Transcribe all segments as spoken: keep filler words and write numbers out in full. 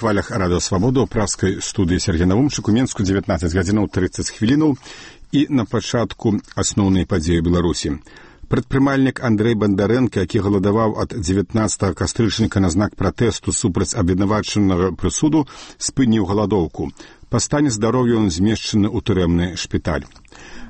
хвалях радыё Свабода ў праскай студыі Сергей Навумчык у Менску дзевятнаццаць гадзінаў трыццаць хвілінаў і на пачатку асноўнай падзеі Беларусі. Прадпрымальнік Андрэй Бандарэнка, які галадаваў ад дзевятнаццатага кастрычніка на знак пратэсту супраць абвінавачанага прысуду, спыніў галадоўку. Па стане здароўя ён змешчаны ў турэмны шпіталь.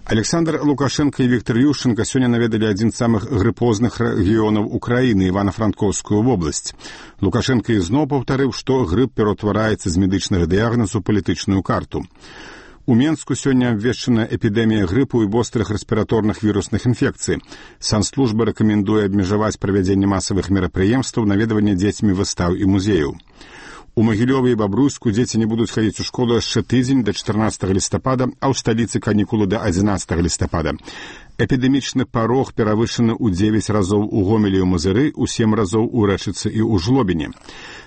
Александр Лукашенко і Віктор Ющенко сёння наведалі адзін з самых грыпозных рэгіёнаў Украіны, Івана-Франкоўскую вобласць. Лукашенко ізноў паўтарыў, што грып пераўтвараецца з медычнага дыягназу ў палітычную карту. У Менску сёння абвешчана эпідэмія грыпу і вострых рэспіраторных вірусных інфекцый. Санслужба рэкамендуе абмежаваць правядзенне масавых мерапрыемстваў, наведванне дзецьмі выстаў і музеяў. У Магілёве і Бабруйску дзеці не будуць хадзіць у школу яшчэ тыдзень да чатырнаццатага лістапада, а ў сталіцы канікулы да адзінаццатага лістапада. Эпідэмічны парог перавышаны ў дзевяць разоў у Гомелі і ў Мазыры, у сем разоў у Рэчыцы і ў Жлобіне.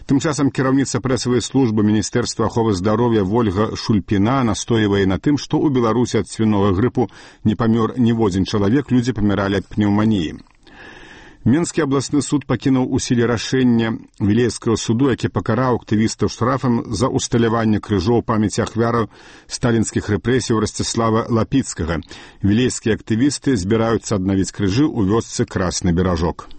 Тым часам кіраўніца прэсавай службы Міністэрства аховы здароўя Вольга Шульпіна настойвае на тым, што ў Беларусі ад свінога грыпу не памёр ніводзін чалавек, людзі паміралі ад пнеўманіі. Менскі абласны суд пакінуў у сіле рашэння Вілейскага суду, які пакараў актывістаў штрафам за усталяванне крыжоў памяці ахвяраў сталінскіх рэпрэсій Расціслава Лапіцкага. Вілейскія актывісты збіраюцца аднавіць крыжы ў вёсцы Красны Беражок.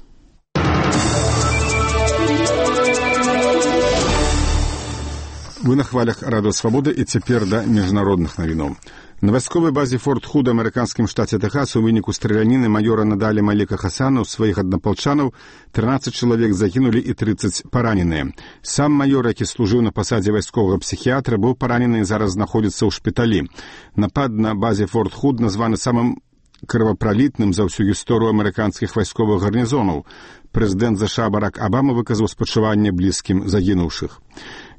Вы на хвалях радыё Свабода і цяпер да міжнародных навіноў. На вайсковай базе Форт Худ у амерыканскім штаце Тэхас у выніку страляніны майора Надалі Маліка Хасана ў сваіх аднапалчанаў трынаццаць чалавек загінулі і трыццаць параненыя. Сам майор, які служыў на пасадзе вайсковага псіхіятра, быў паранены і зараз знаходзіцца ў шпіталі. Напад на базе Форт Худ названы самым крывапралітным за ўсю гісторыю амерыканскіх вайсковых гарнізонаў. Прэзідэнт ЗША Барак Абама выказаў спачуванне блізкім загінуўшых.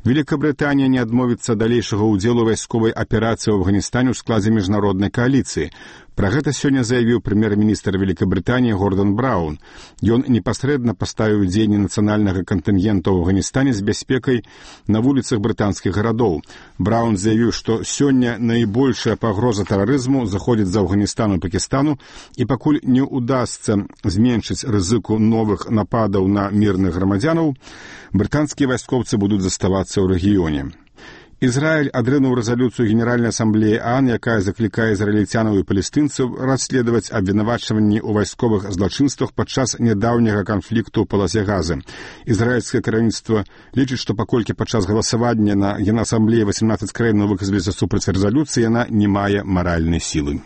Великобрытанія не адмовіцца далейшага ўдзелу вайсковай аперацыі ў Афганістане ў складзе міжнароднай кааліцыі. Пра гэта сёння заявіў прэм'ер-міністр Великобрытаніі Гордон Браун. Ён непасрэдна паставіў дзеянні нацыянальнага кантынгента ў Афганістане з бяспекай на вуліцах брытанскіх гарадоў. Браун заявіў, што сёння найбольшая пагроза тэрарызму заходзіць з Афганістану і Пакістану, і пакуль не ўдасца зменшыць рызыку новых нападаў на мірных грамадзянаў, брытанскія вайскоўцы будуць заставацца ў рэгіёне. Ізраіль адрынуў рэзалюцыю Генеральнай асамблеі ААН, якая заклікае ізраільцянаў і палестынцаў расследаваць абвінавачванні ў вайсковых злачынствах падчас нядаўняга канфлікту ў паласе Газы. Ізраільскае кіраўніцтва лічыць, што паколькі падчас галасавання на Генасамблеі васемнаццаць краінаў выказаліся супраць рэзалюцыі, яна не мае маральнай сілы.